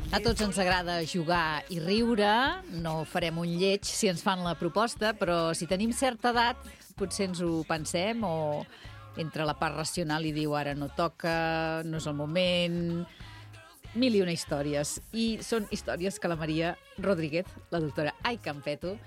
A tots ens agrada jugar i riure, no farem un lleig si ens fan la proposta, però si tenim certa edat potser ens ho pensem o entre la part racional i diu ara no toca, no és el moment, mil i una històries. I són històries que la Maria Rodríguez, la doctora Ai Campeto,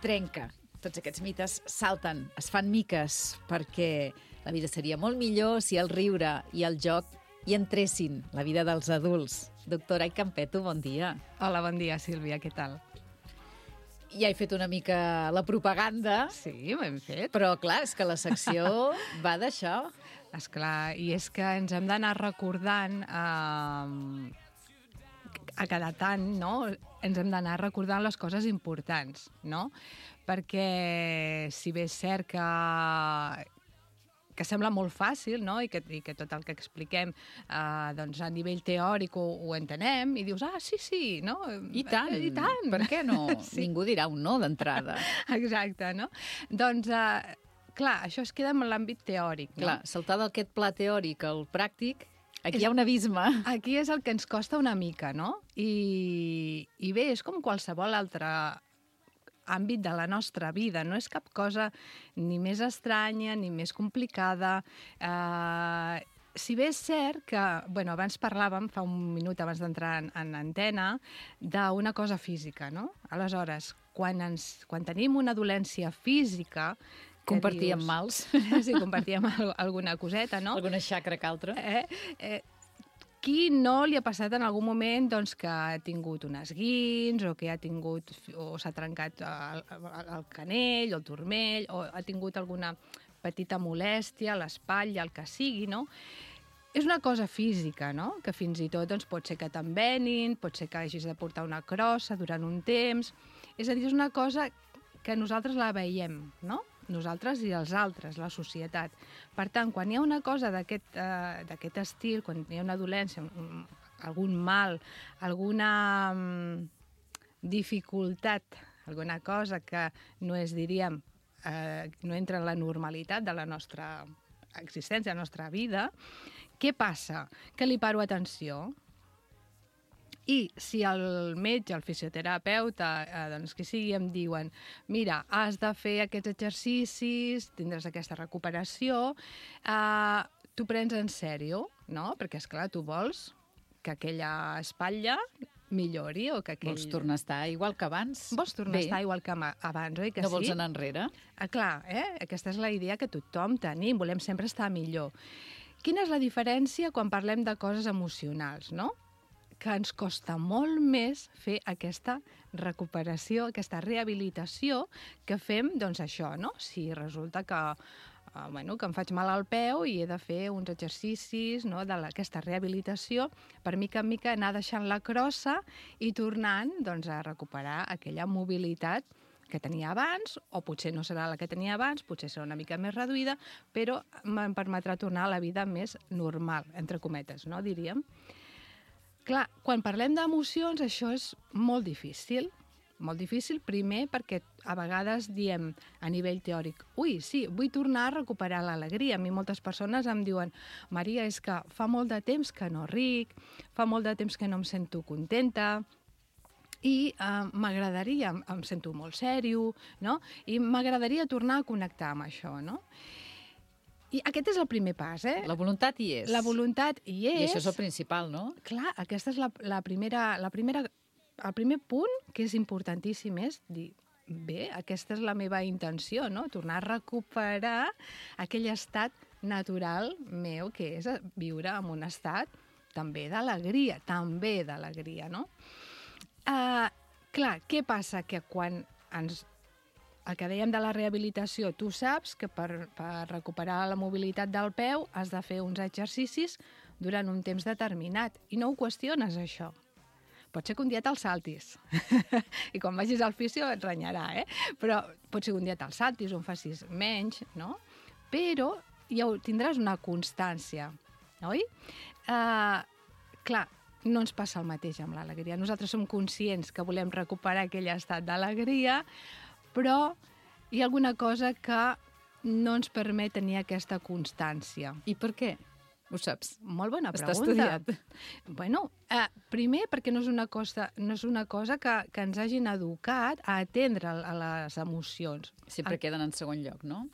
trenca. Tots aquests mites salten, es fan miques, perquè la vida seria molt millor si el riure i el joc hi entressin, la vida dels adults. Doctora Ai Campeto, bon dia. Hola, bon dia, Sílvia, què tal? Ja he fet una mica la propaganda. Sí, ho hem fet. Però, clar, és que la secció va d'això. Esclar, i és que ens hem d'anar recordant a cada tant, no? Ens hem d'anar recordant les coses importants, no? Perquè si bé és cert que sembla molt fàcil, no? I que tot el que expliquem doncs a nivell teòric ho entenem, i dius, sí, no? I tant, I tant. Per què no? Sí. Ningú dirà un no d'entrada. Exacte, no? Doncs, clar, això es queda en l'àmbit teòric, no? Clar, saltar d'aquest pla teòric al pràctic, aquí hi ha un abisme. Aquí és el que ens costa una mica, no? I bé, és com qualsevol altre àmbit de la nostra vida, no és cap cosa ni més estranya ni més complicada. Si bé és cert que, abans parlàvem, fa un minut abans d'entrar en antena, d'una cosa física, no? Aleshores, quan tenim una dolència física... Compartíem mals. Sí, compartíem alguna coseta, no? Alguna xacra que altra. Qui no li ha passat en algun moment doncs, que ha tingut un esguins o que ha tingut o s'ha trencat el canell o el turmell o ha tingut alguna petita molèstia a l'espatlla, el que sigui, no? És una cosa física, no? Que fins i tot doncs, pot ser que t'envenin, pot ser que hagis de portar una crossa durant un temps. És a dir, és una cosa que nosaltres la veiem, no? Nosaltres i els altres, la societat. Per tant, quan hi ha una cosa d'aquest estil, quan hi ha una dolència, algun mal, alguna dificultat, alguna cosa que no és, diríem, no entra en la normalitat de la nostra existència, de la nostra vida, què passa? Que li paro atenció. I si el metge, el fisioterapeuta, doncs qui sigui, em diuen mira, has de fer aquests exercicis, tindràs aquesta recuperació, tu prens en sèrio, no? Perquè, esclar, tu vols que aquella espatlla millori o que aquell... Vols tornar a estar igual que abans? Vols tornar a estar igual que abans, oi que sí? No vols anar enrere? Clar, aquesta és la idea que tothom tenim, volem sempre estar millor. Quina és la diferència quan parlem de coses emocionals, no? Que ens costa molt més fer aquesta recuperació, aquesta rehabilitació que fem, doncs això, no? Si resulta que em faig mal al peu i he de fer uns exercicis, no, d'aquesta rehabilitació, per mica en mica anar deixant la crossa i tornant doncs, a recuperar aquella mobilitat que tenia abans, o potser no serà la que tenia abans, potser serà una mica més reduïda, però em permetrà tornar a la vida més normal, entre cometes, no, diríem. Clar, quan parlem d'emocions, això és molt difícil. Molt difícil, primer, perquè a vegades diem a nivell teòric sí, vull tornar a recuperar l'alegria. A mi moltes persones em diuen Maria, és que fa molt de temps que no ric, fa molt de temps que no em sento contenta, i m'agradaria, em sento molt sèrio, no? I m'agradaria tornar a connectar amb això, no? I aquest és el primer pas, La voluntat hi és. La voluntat hi és. I això és el principal, no? Clar, aquesta és el primer punt, que és importantíssim, és dir, bé, aquesta és la meva intenció, no? Tornar a recuperar aquell estat natural meu, que és viure en un estat també d'alegria, no? Clar, què passa? Que quan el que dèiem de la rehabilitació, tu saps que per recuperar la mobilitat del peu has de fer uns exercicis durant un temps determinat i no ho qüestiones, això. Pot ser que un dia te'l saltis i quan vagis al fisio et renyarà, però pot ser que un dia te'l saltis o en facis menys, no? Però ja tindràs una constància, oi? Clar, no ens passa el mateix amb l'alegria. Nosaltres som conscients que volem recuperar aquell estat d'alegria, però hi ha alguna cosa que no ens permet tenir aquesta constància. I per què? Ho saps? Molt bona Està pregunta. estudiat. Bueno, primer perquè no és una cosa que ens hagin educat a atendre a les emocions. Sempre queden en segon lloc, no?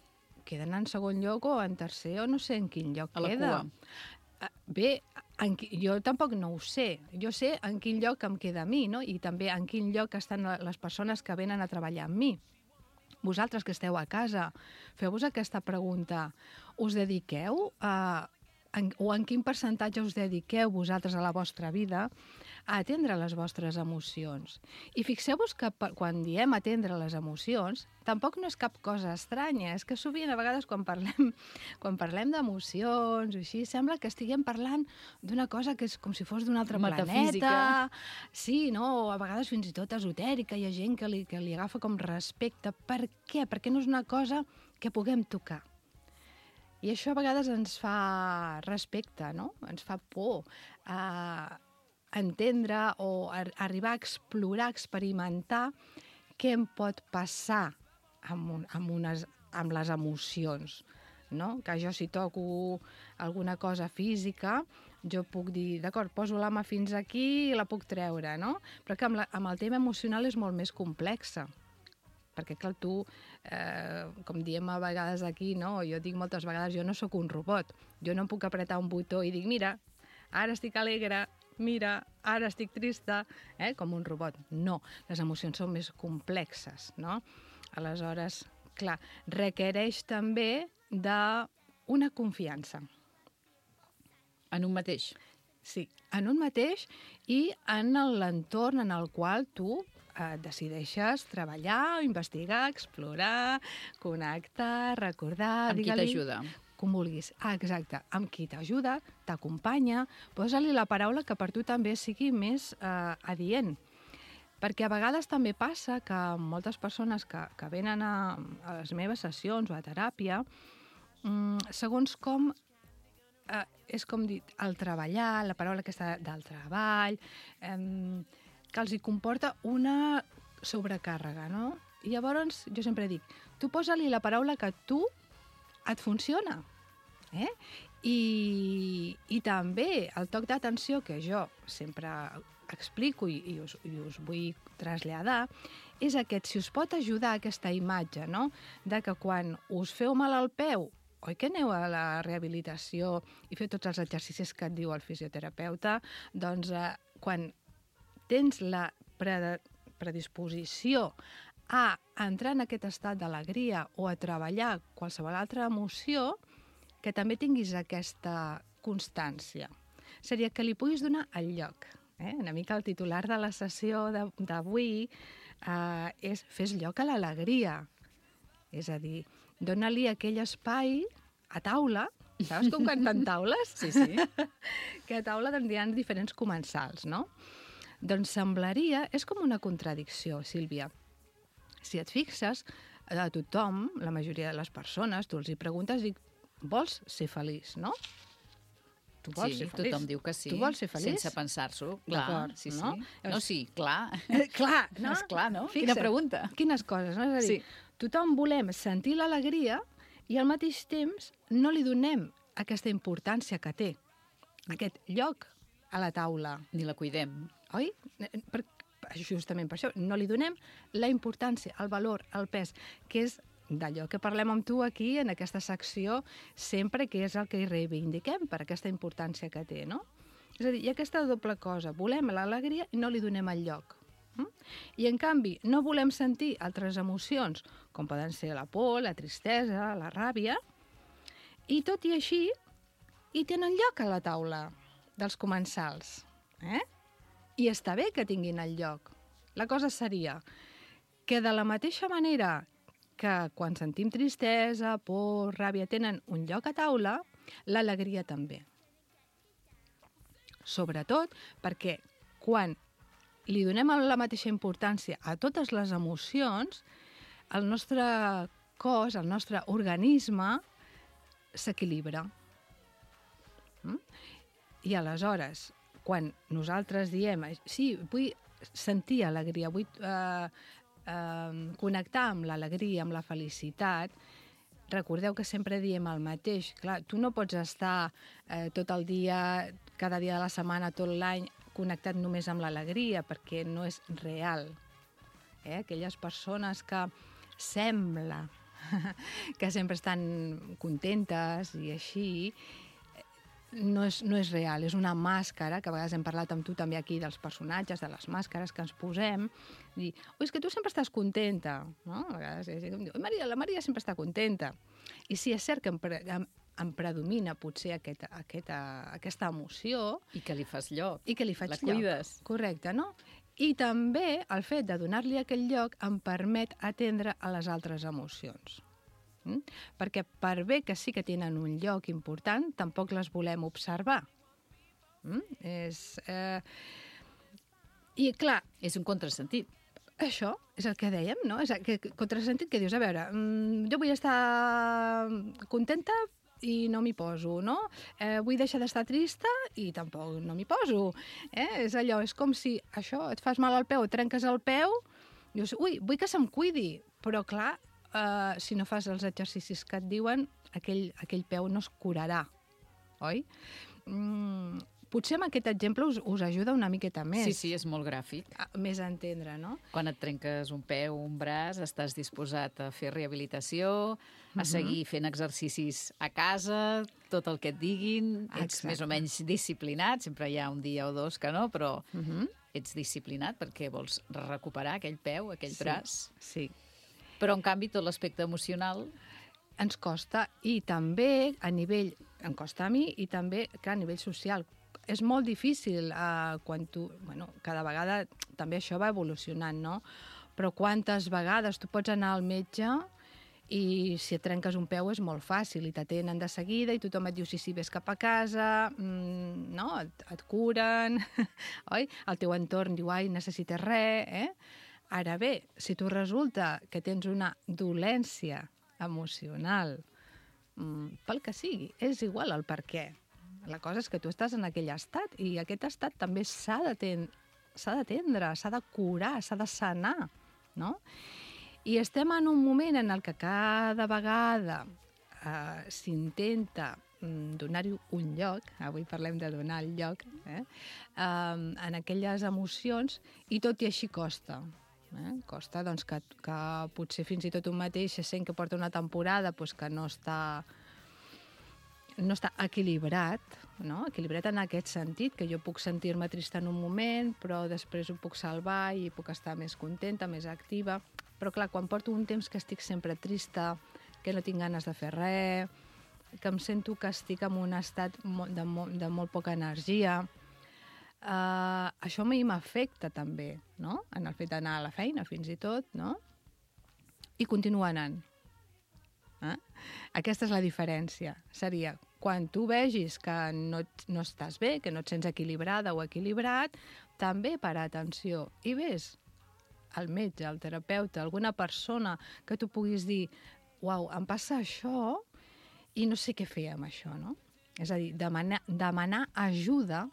Queden en segon lloc o en tercer o no sé en quin lloc A la queda. cua. Bé, jo tampoc no ho sé. Jo sé en quin lloc em queda a mi, no? I també en quin lloc estan les persones que venen a treballar amb mi. Vosaltres que esteu a casa, feu-vos aquesta pregunta. Us dediqueu o en quin percentatge us dediqueu vosaltres a la vostra vida a atendre les vostres emocions? I fixeu-vos que quan diem atendre les emocions, tampoc no és cap cosa estranya. És que sovint, a vegades, quan parlem d'emocions o així, sembla que estiguem parlant d'una cosa que és com si fos d'un altre Metafísica. planeta. Sí, no? A vegades fins i tot esotèrica. Hi ha gent que li agafa com respecte. Per què? Perquè no és una cosa que puguem tocar. I això a vegades ens fa respecte, no? Ens fa por entendre o arribar a explorar, a experimentar què em pot passar amb les emocions, no? Que jo si toco alguna cosa física, jo puc dir, d'acord, poso la mà fins aquí i la puc treure, no? Però que amb el tema emocional és molt més complexa. Perquè, clar, tu, com diem a vegades aquí, no? Jo dic moltes vegades, jo no sóc un robot. Jo no puc apretar un botó i dic, mira, ara estic alegre, mira, ara estic trista, com un robot. No, les emocions són més complexes, no? Aleshores, clar, requereix també d'una confiança. En un mateix. Sí, en un mateix i en l'entorn en el qual tu decideixes treballar, investigar, explorar, connectar, recordar... Amb qui t'ajuda. Com vulguis. Exacte. Amb qui t'ajuda, t'acompanya, posa-li la paraula que per tu també sigui més adient. Perquè a vegades també passa que moltes persones que venen a les meves sessions o a teràpia, segons com és com dir, el treballar, la paraula aquesta del treball, que els hi comporta una sobrecàrrega, no? I llavors jo sempre dic, tu posa-li la paraula que a tu et funciona. I també el toc d'atenció que jo sempre explico i us vull traslladar és aquest, si us pot ajudar aquesta imatge, no? De que quan us feu mal al peu, oi que aneu a la rehabilitació i feu tots els exercicis que et diu el fisioterapeuta, doncs quan tens la predisposició a entrar en aquest estat d'alegria o a treballar qualsevol altra emoció, que també tinguis aquesta constància. Seria que li puguis donar el lloc. Una mica el titular de la sessió d'avui és fes lloc a l'alegria. És a dir, dona-li aquell espai a taula. Saps com canten taules? Sí, sí. Que a taula tindran diferents comensals, no? Doncs semblaria... És com una contradicció, Sílvia. Si et fixes, a tothom, la majoria de les persones, tu els hi preguntes i vols ser feliç, no? Tu vols ser feliç. Tothom diu que sí. Tu vols ser feliç? Sense pensar-s'ho, clar. D'acord, Sí, no? sí. No, sí, clar. Clar, no? És clar, no? Fixa't, Quina pregunta. Quines coses, no? És a dir, tothom volem sentir l'alegria i al mateix temps no li donem aquesta importància que té, aquest lloc a la taula. Ni la cuidem. Oi? Justament per això, no li donem la importància, el valor, el pes, que és d'allò que parlem amb tu aquí, en aquesta secció, sempre que és el que hi reivindiquem per aquesta importància que té, no? És a dir, hi ha aquesta doble cosa, volem l'alegria i no li donem el lloc. I, en canvi, no volem sentir altres emocions, com poden ser la por, la tristesa, la ràbia, i tot i així, hi tenen lloc a la taula dels comensals. I està bé que tinguin el lloc. La cosa seria que de la mateixa manera que quan sentim tristesa, por, ràbia, tenen un lloc a taula, l'alegria també. Sobretot perquè quan li donem la mateixa importància a totes les emocions, el nostre cos, el nostre organisme, s'equilibra. I aleshores, quan nosaltres diem, sí, vull sentir alegria, vull connectar amb l'alegria, amb la felicitat, recordeu que sempre diem el mateix. Clar, tu no pots estar tot el dia, cada dia de la setmana, tot l'any, connectat només amb l'alegria, perquè no és real. Aquelles persones que sembla que sempre estan contentes i així, no és real, és una màscara, que a vegades hem parlat amb tu també aquí dels personatges, de les màscares que ens posem, dir, és que tu sempre estàs contenta, no? A vegades la Maria sempre està contenta. I sí, és cert que em predomina potser aquesta emoció. I que li fas lloc. I que li faig lloc. La cuides. Correcte, no? I també el fet de donar-li aquell lloc em permet atendre a les altres emocions. Perquè per bé que sí que tenen un lloc important, tampoc les volem observar. I clar... És un contrasentit. Això és el que dèiem, no? És el contrasentit que dius, a veure, jo vull estar contenta i no m'hi poso, no? Vull deixar d'estar trista i tampoc no m'hi poso. És allò, és com si això, et fas mal al peu, et trenques el peu, dius, ui, vull que se'm cuidi, però clar, si no fas els exercicis que et diuen, aquell peu no es curarà, oi? Potser amb aquest exemple us ajuda una miqueta més. Sí, és molt gràfic. Més a entendre, no? Quan et trenques un peu o un braç, estàs disposat a fer rehabilitació, a seguir fent exercicis a casa, tot el que et diguin, ets més o menys disciplinat, sempre hi ha un dia o dos que no, però ets disciplinat perquè vols recuperar aquell peu, aquell braç. Sí. Però, en canvi, tot l'aspecte emocional... Ens costa, i també em costa a mi, i també, clar, a nivell social. És molt difícil quan tu... Bueno, cada vegada també això va evolucionant, no? Però quantes vegades tu pots anar al metge i si et trenques un peu és molt fàcil i t'atenen de seguida i tothom et diu sí, ves cap a casa, no? Et curen, oi? El teu entorn diu, ai, necessites res, Ara bé, si tu resulta que tens una dolència emocional, pel que sigui, és igual el per què. La cosa és que tu estàs en aquell estat i aquest estat també s'ha d'atendre, s'ha de curar, s'ha de sanar, no? I estem en un moment en el que cada vegada s'intenta donar-hi un lloc, avui parlem de donar el lloc, en aquelles emocions, i tot i així costa. Costa doncs, que potser fins i tot un mateix se sent que porta una temporada que no està equilibrat, no? Equilibrat en aquest sentit, que jo puc sentir-me trista en un moment, però després ho puc salvar i puc estar més contenta, més activa. Però clar, quan porto un temps que estic sempre trista, que no tinc ganes de fer res, que em sento que estic en un estat de molt poca energia, això a mi m'afecta també, no? En el fet d'anar a la feina, fins i tot, no? I continuar anant. Aquesta és la diferència. Seria, quan tu vegis que no estàs bé, que no et sents equilibrada o equilibrat, també para atenció i ves al metge, al terapeuta, alguna persona que tu puguis dir, uau, em passa això i no sé què fer amb això, no? És a dir, demanar ajuda.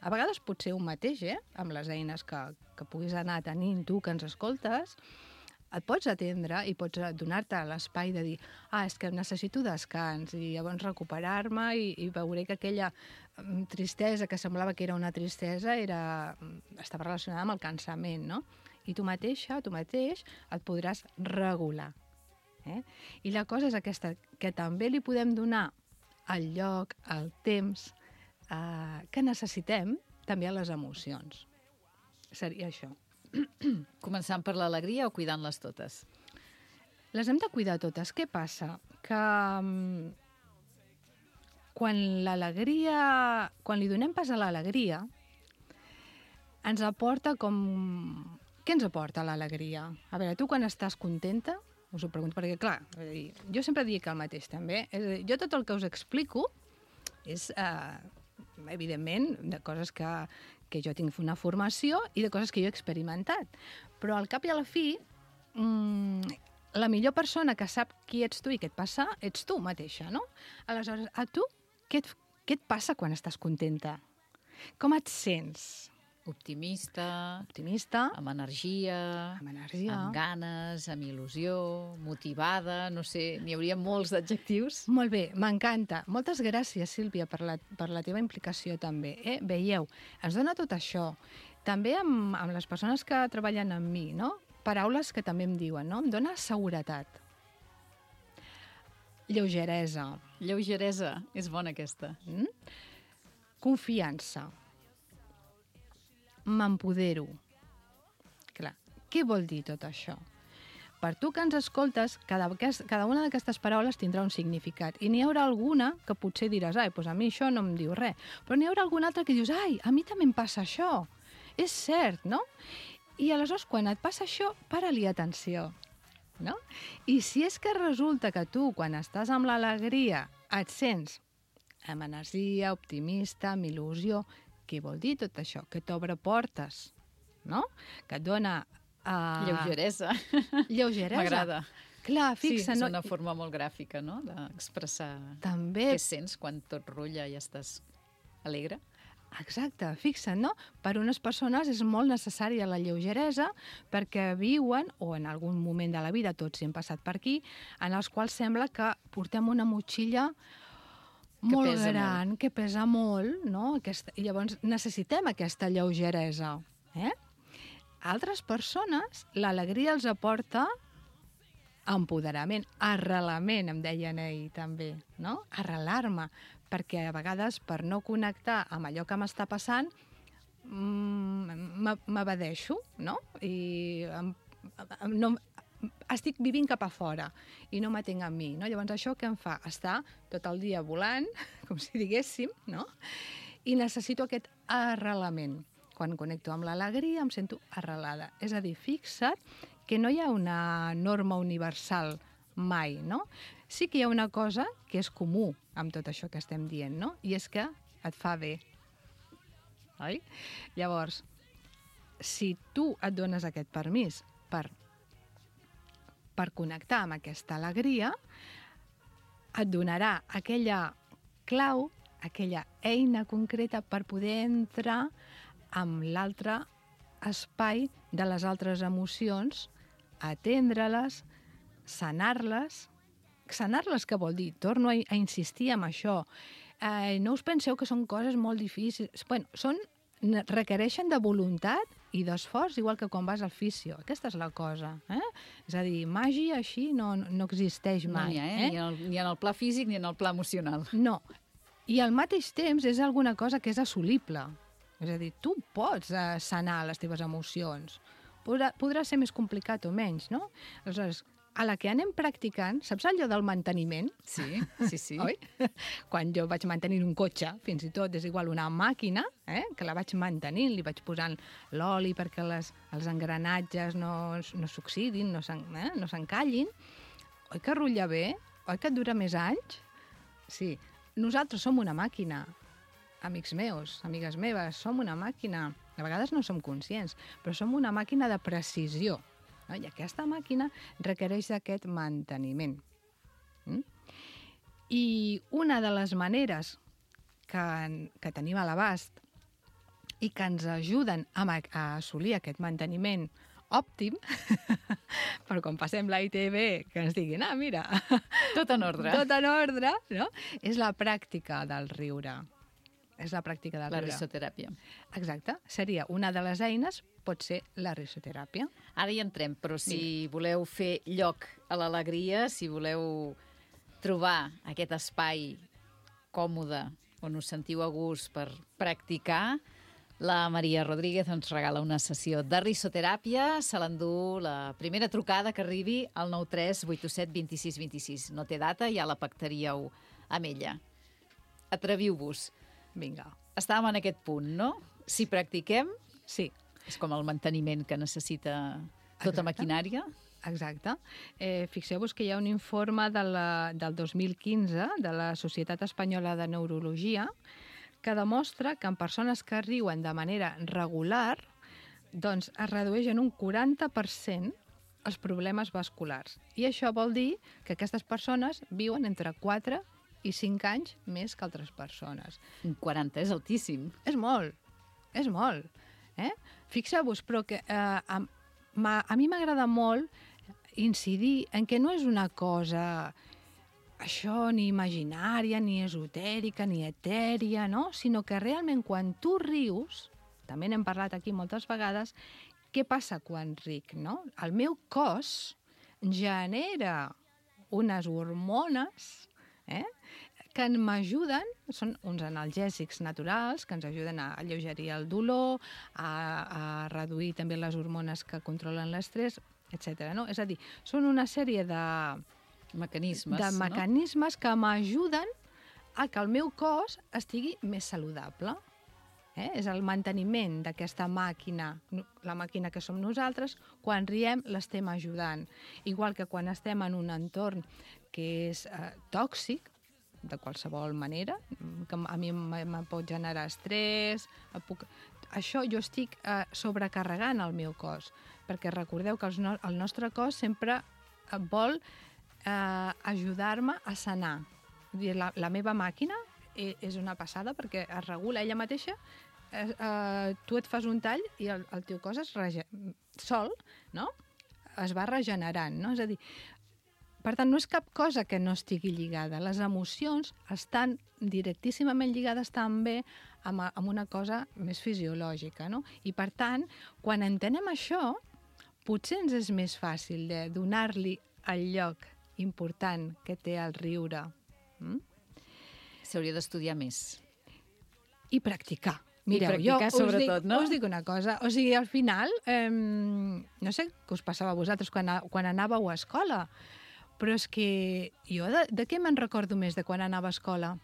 A vegades pot ser un mateix, amb les eines que puguis anar tenint tu, que ens escoltes, et pots atendre i pots donar-te l'espai de dir és que necessito descans i llavors recuperar-me i veuré que aquella tristesa que semblava que era una tristesa estava relacionada amb el cansament, no? I tu mateixa, tu mateix, et podràs regular. I la cosa és aquesta, que també li podem donar el lloc, el temps que necessitem també a les emocions. Seria això. Començant per l'alegria o cuidant-les totes? Les hem de cuidar totes. Què passa? Que quan li donem pas a l'alegria, ens aporta com... Què ens aporta l'alegria? A veure, tu quan estàs contenta, us ho pregunto, perquè clar, jo sempre dic el mateix també, jo tot el que us explico és... evidentment, de coses que jo tinc una formació i de coses que jo he experimentat. Però al cap i a la fi, la millor persona que sap qui ets tu i què et passa, ets tu mateixa, no? Aleshores, a tu, què et passa quan estàs contenta? Com et sents? Optimista, Optimista, amb energia, amb ganes, amb il·lusió, motivada, no sé, n'hi hauria molts d'adjectius. Molt bé, m'encanta. Moltes gràcies, Sílvia, per la teva implicació també. Veieu, ens dona tot això. També amb les persones que treballen amb mi, no? Paraules que també em diuen, no? Em dona seguretat. Lleugeresa. Lleugeresa, és bona aquesta. Confiança. M'empodero. Clar, què vol dir tot això? Per tu que ens escoltes, cada una d'aquestes paraules tindrà un significat. I n'hi haurà alguna que potser diràs, doncs a mi això no em diu res. Però n'hi haurà alguna altra que dius, a mi també em passa això. És cert, no? I aleshores, quan et passa això, para-li atenció. No? I si és que resulta que tu, quan estàs amb l'alegria, et sents amb energia, optimista, amb il·lusió, què vol dir tot això? Que t'obre portes, no? Que et dona... Lleugeresa. Lleugeresa. M'agrada. Clar, fixa... Sí, és una forma molt gràfica, no?, d'expressar també... què sents quan tot rutlla i estàs alegre. Exacte, fixa't, no? Per unes persones és molt necessària la lleugeresa perquè viuen, o en algun moment de la vida, tots hem passat per aquí, en els quals sembla que portem una motxilla molt gran, que pesa molt, no? I llavors necessitem aquesta lleugeresa. Altres persones, l'alegria els aporta empoderament, arrelament, em deien ahir també, no? Arrelar-me, perquè a vegades per no connectar amb allò que m'està passant m'evadeixo, no? I estic vivint cap a fora i no m'atenc a mi, no? Llavors això què em fa? Estar tot el dia volant, com si diguéssim, no? I necessito aquest arrelament. Quan connecto amb l'alegria em sento arrelada. És a dir, fixa't que no hi ha una norma universal mai, no? Sí que hi ha una cosa que és comú amb tot això que estem dient, no? I és que et fa bé. Oi? Llavors, si tu et dones aquest permís per connectar amb aquesta alegria, et donarà aquella clau, aquella eina concreta per poder entrar amb l'altre espai de les altres emocions, atendre-les, sanar-les. Sanar-les què vol dir? Torno a insistir en això. No us penseu que són coses molt difícils. Bueno, requereixen de voluntat i d'esforç, igual que quan vas al fisio. Aquesta és la cosa. És a dir, màgia així no existeix mai. No n'hi ha, ni en el pla físic ni en el pla emocional. No. I al mateix temps és alguna cosa que és assolible. És a dir, tu pots sanar les teves emocions. Podrà ser més complicat o menys, no? Aleshores, a la que anem practicant, saps allò del manteniment? Sí, sí, sí. Oi? Quan jo vaig mantenir un cotxe, fins i tot és igual una màquina, que la vaig mantenint, li vaig posant l'oli perquè els engranatges no s'oxidin, no s'encallin. Oi que rutlla bé? Oi que et dura més anys? Sí. Nosaltres som una màquina. Amics meus, amigues meves, som una màquina. A vegades no som conscients, però som una màquina de precisió. No? I aquesta màquina requereix d'aquest manteniment. I una de les maneres que tenim a l'abast i que ens ajuden a assolir aquest manteniment òptim, però quan passem la ITV, que ens diguin, mira... Tot en ordre. Tot en ordre, no? És la pràctica del riure. És la pràctica del riure. La risoteràpia. Exacte. Seria una de les eines, pot ser la risoteràpia. Ara hi entrem, però si voleu fer lloc a l'alegria, si voleu trobar aquest espai còmode on us sentiu a gust per practicar, la Maria Rodríguez ens regala una sessió de risoteràpia. Se l'endú la primera trucada que arribi al 93 827 26 26. No té data, ja la pactaríeu amb ella. Atreviu-vos. Vinga. Estàvem en aquest punt, no? Si practiquem, sí. És com el manteniment que necessita tota maquinària. Exacte. Fixeu-vos que hi ha un informe del 2015 de la Societat Espanyola de Neurologia que demostra que en persones que riuen de manera regular doncs es redueix en un 40% els problemes vasculars. I això vol dir que aquestes persones viuen entre 4 i 5 anys més que altres persones. Un 40 és altíssim. És molt, és molt. Fixeu-vos, però que a mi m'agrada molt incidir en que no és una cosa això ni imaginària, ni esotèrica, ni etèria, no? Sinó que realment quan tu rius, també n'hem parlat aquí moltes vegades, què passa quan ric, no? El meu cos genera unes hormones que m'ajuden, són uns analgèsics naturals que ens ajuden a alleugerir el dolor, a reduir també les hormones que controlen l'estrès, etc. No? És a dir, són una sèrie de mecanismes que m'ajuden a que el meu cos estigui més saludable. És el manteniment d'aquesta màquina, la màquina que som nosaltres, quan riem l'estem ajudant. Igual que quan estem en un entorn que és tòxic, de qualsevol manera, que a mi em pot generar estrès, això jo estic sobrecarregant el meu cos, perquè recordeu que el nostre cos sempre vol ajudar-me a sanar. La meva màquina és una passada perquè es regula ella mateixa, tu et fas un tall i el teu cos sol, no? Es va regenerant, no? És a dir, per tant, no és cap cosa que no estigui lligada. Les emocions estan directíssimament lligades també amb una cosa més fisiològica, no? I per tant, quan entenem això, potser ens és més fàcil de donar-li el lloc important que té el riure. S'hauria d'estudiar més. I practicar. Mireu, practicar sobretot, no? Us dic una cosa, o sigui, al final, no sé què us passava a vosaltres quan anàveu a escola, però és que jo de què me'n recordo més de quan anava a escola?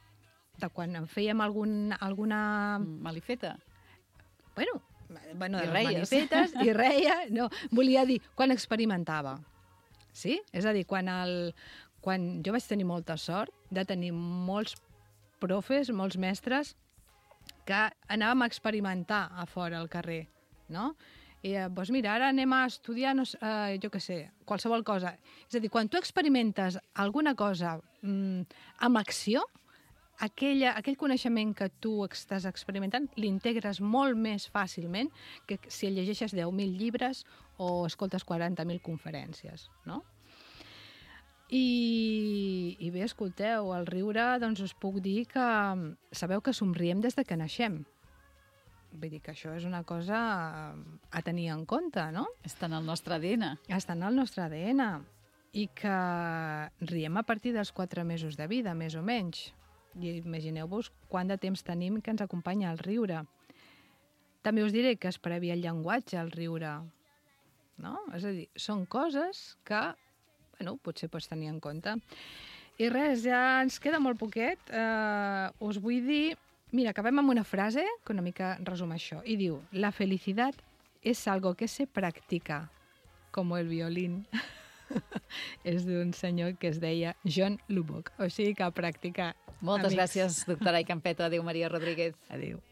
De quan fèiem alguna... Malifeta? Bueno, de les malifetes, i reia, no, volia dir, quan experimentava. Sí? És a dir, quan jo vaig tenir molta sort de tenir molts profes, molts mestres, que anàvem a experimentar a fora al carrer, no? I, doncs mira, ara anem a estudiar, jo què sé, qualsevol cosa. És a dir, quan tu experimentes alguna cosa amb acció, aquell coneixement que tu estàs experimentant l'integres molt més fàcilment que si llegeixes 10.000 llibres o escoltes 40.000 conferències, no? I bé, escolteu, al riure doncs us puc dir que sabeu que somriem des de que naixem. Vull dir que això és una cosa a tenir en compte, no? Està en el nostre ADN. Està en el nostre ADN. I que riem a partir dels 4 mesos de vida, més o menys. I imagineu-vos quant de temps tenim que ens acompanya el riure. També us diré que es previa el llenguatge, el riure. No? És a dir, són coses que potser pots tenir en compte. I res, ja ens queda molt poquet. Us vull dir... Mira, acabem amb una frase que una mica resum això. I diu, la felicidad es algo que se practica, como el violín. És d'un senyor que es deia John Lubbock. O sigui que a practicar. Moltes gràcies, doctora Campetto. Adéu, Maria Rodríguez. Adéu.